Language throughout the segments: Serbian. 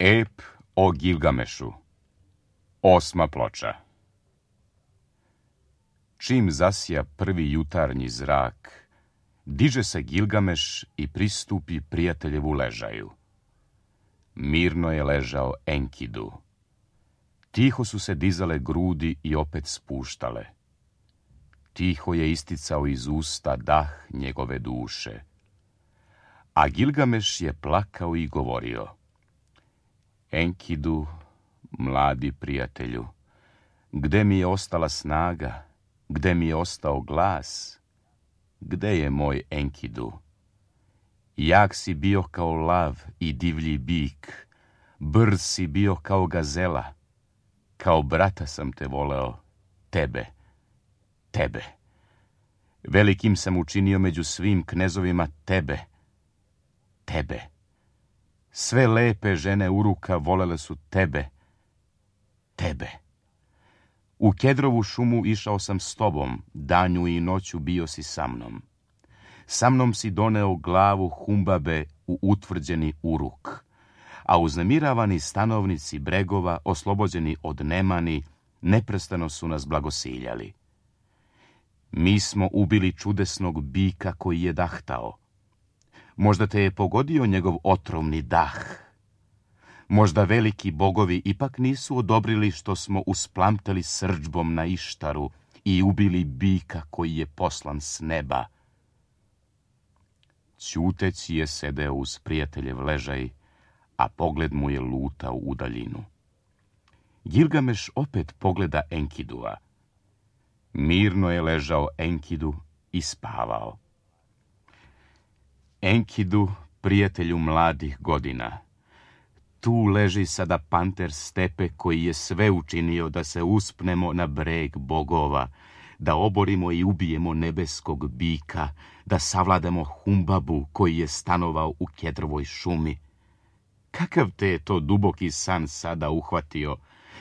Ep o Gilgamešu. 8. ploča. Čim zasja prvi jutarnji zrak, diže se Gilgameš i pristupi prijateljevu ležaju. Mirno je ležao Enkidu. Tiho su se dizale grudi i opet spuštale. Tiho je isticao iz usta dah njegove duše. A Gilgameš je plakao i govorio: Enkidu, mladi prijatelju, gde mi je ostala snaga, gde mi je ostao glas, gde je moj Enkidu? Jak si bio kao lav i divlji bik, brz si bio kao gazela, kao brata sam te voleo, tebe. Velikim sam učinio među svim knezovima tebe. Sve lepe žene Uruka volele su tebe. U Kedrovu šumu išao sam s tobom, danju i noću bio si sa mnom. Sa mnom si doneo glavu Humbabe u utvrđeni Uruk, a uznemiravani stanovnici bregova, oslobođeni od nemani, neprestano su nas blagosiljali. Mi smo ubili čudesnog bika koji je dahtao. Možda te je pogodio njegov otrovni dah. Možda veliki bogovi ipak nisu odobrili što smo usplamtali srdžbom na Ištaru i ubili bika koji je poslan s neba. Ćuteći je sedeo uz prijateljev ležaj, a pogled mu je lutao u daljinu. Gilgameš opet pogleda Enkidua. Mirno je ležao Enkidu i spavao. Enkidu, prijatelju mladih godina, tu leži sada panter stepe koji je sve učinio da se uspnemo na breg bogova, da oborimo i ubijemo nebeskog bika, da savladamo Humbabu koji je stanovao u Kedrovoj šumi. Kakav te je to duboki san sada uhvatio?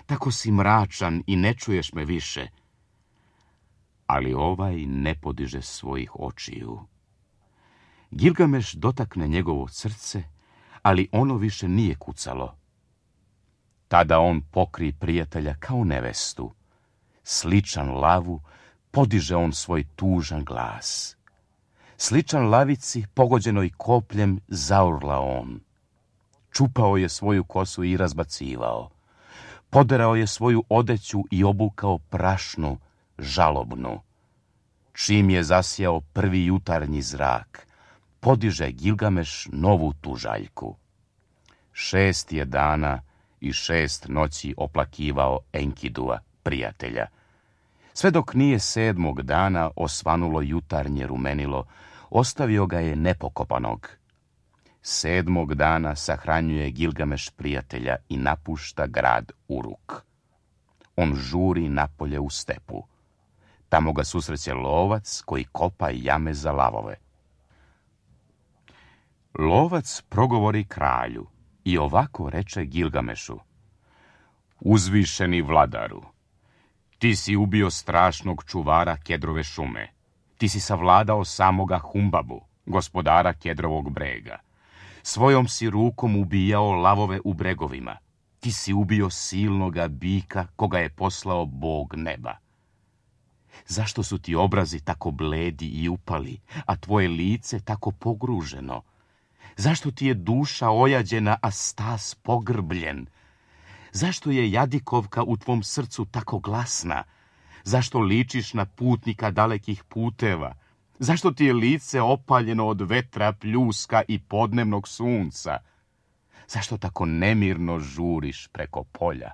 Tako si mračan i ne čuješ me više. Ali ovaj ne podiže svojih očiju. Gilgameš dotakne njegovo srce, ali ono više nije kucalo. Tada on pokri prijatelja kao nevestu. Sličan lavu, podiže on svoj tužan glas. Sličan lavici, pogođenoj kopljem, zaurla on. Čupao je svoju kosu i razbacivao. Poderao je svoju odeću i obukao prašnu, žalobnu. Čim je zasjao prvi jutarnji zrak, podiže Gilgameš novu tužaljku. 6 je dana i 6 noći oplakivao Enkidua, prijatelja. Sve dok nije 7. dana osvanulo jutarnje rumenilo, ostavio ga je nepokopanog. 7. dana sahranjuje Gilgameš prijatelja i napušta grad Uruk. On žuri napolje u stepu. Tamo ga susreće lovac koji kopa jame za lavove. Lovac progovori kralju i ovako reče Gilgamešu: Uzvišeni vladaru, ti si ubio strašnog čuvara Kedrove šume. Ti si savladao samoga Humbabu, gospodara Kedrovog brega. Svojom si rukom ubijao lavove u bregovima. Ti si ubio silnoga bika koga je poslao Bog neba. Zašto su ti obrazi tako bledi i upali, a tvoje lice tako pogruženo? Zašto ti je duša ojađena, a stas pogrbljen? Zašto je jadikovka u tvom srcu tako glasna? Zašto ličiš na putnika dalekih puteva? Zašto ti je lice opaljeno od vetra, pljuska i podnevnog sunca? Zašto tako nemirno žuriš preko polja?